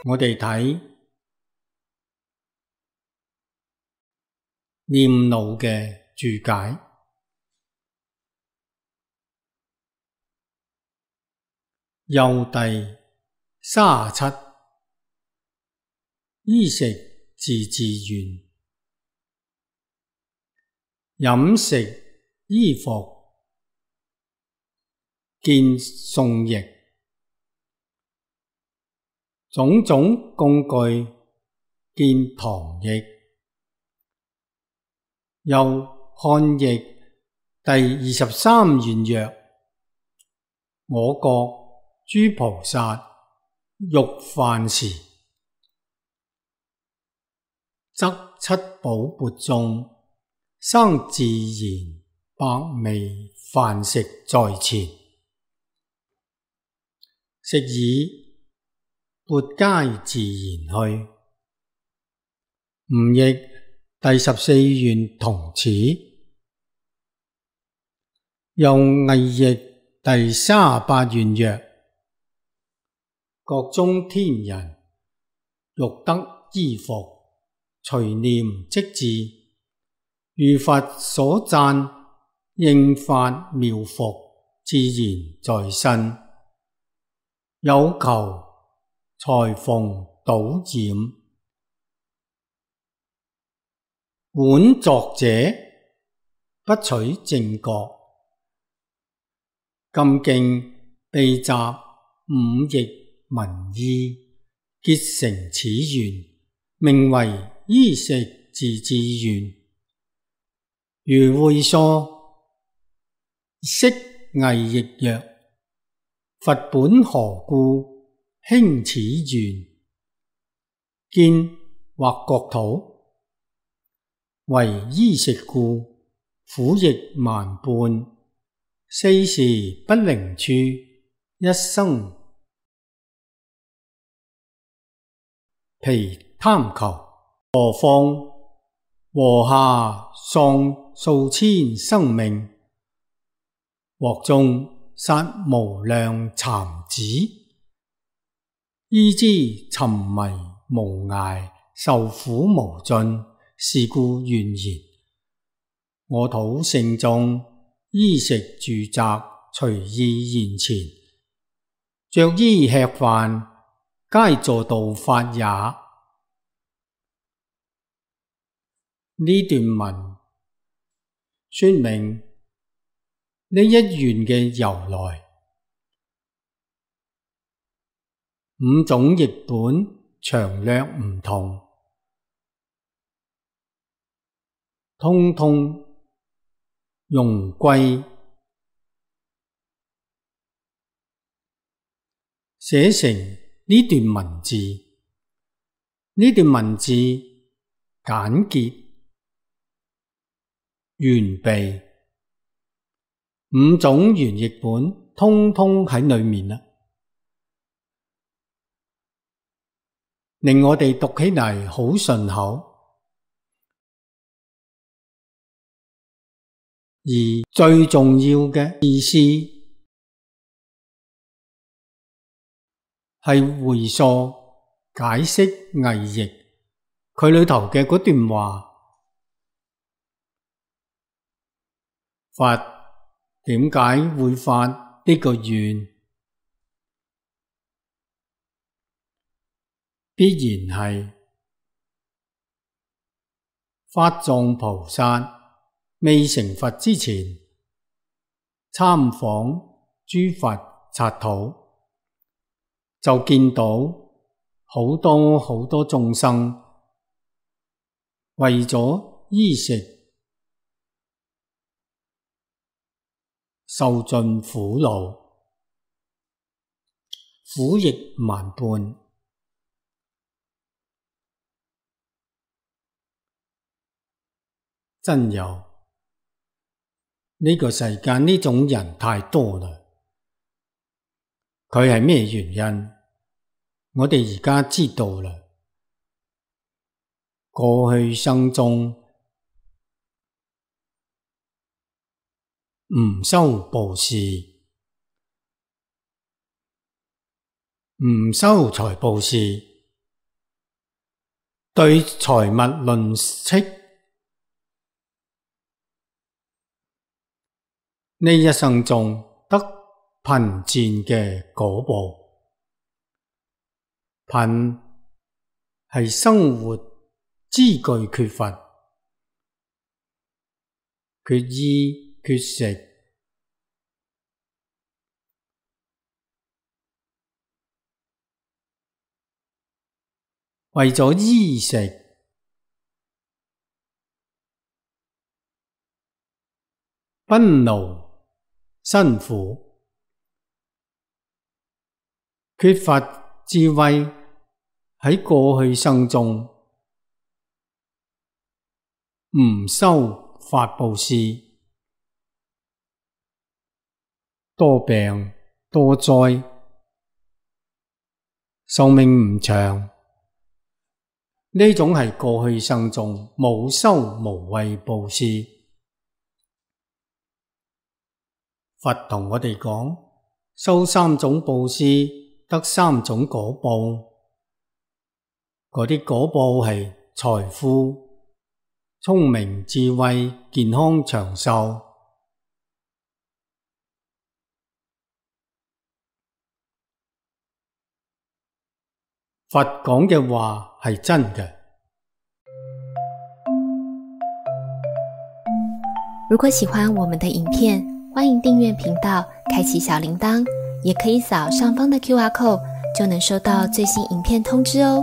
我哋睇念奴嘅注解。又第37，衣食自治縣，飲食衣服見宋譯，種種供具見唐譯。又漢譯第23願曰：我國諸菩薩欲飯時，則七寶缽中生自然百味飯食在前，食已缽皆自然去。吳譯第14願同此。又魏譯第38願曰：國中天人欲得衣服，隨念即至，如佛所讚，應發妙服，自然在身。有求才逢倒染，本作者不取正覺，今經備集五譯文意，結成此願，名為衣食自治願。如會疏釋魏譯曰：佛本何故興此願？見或國土，為衣食故，苦役萬般，四時不寧處，一生疲貪求。何況禾下喪數千生命，鑊中殺無量蠶子，依之沉迷無涯，受苦無盡。是故願言，我土聖眾，衣食住宅隨意現前，着衣吃飯，皆助道法也。呢段文說明呢一願嘅由來。五種譯本詳略唔同，通通用歸寫成呢段文字。呢段文字簡潔完備，五種原譯本通通喺裏面啦，令我哋讀起嚟好順口。而最重要嘅意思係回溯解釋魏譯佢裏頭嘅嗰段話。佛點解會發呢個願？必然係法藏菩薩未成佛之前，參訪諸佛剎土，就見到好多好多眾生為咗衣食受盡苦惱，苦役萬般。真有呢個世間呢種人太多啦。佢係咩原因？我哋而家知道啦。過去生中唔修布施，唔修財布施，對財物吝嗇，呢一生中得貧賤嘅果報。貧係生活資具缺乏，缺衣缺食，為咗衣食，奔勞辛苦，缺乏智慧，喺過去生中唔修法布施，多病多災，壽命唔長。呢種係過去生中冇修無畏布施。佛同我哋講，修三種布施得三種果報，嗰啲果報係財富、聰明、智慧、健康、長壽。佛講嘅話係真嘅。如果喜歡我們的影片，歡迎訂閱頻道，開啟小鈴鐺，也可以掃上方的QR code，就能收到最新影片通知哦。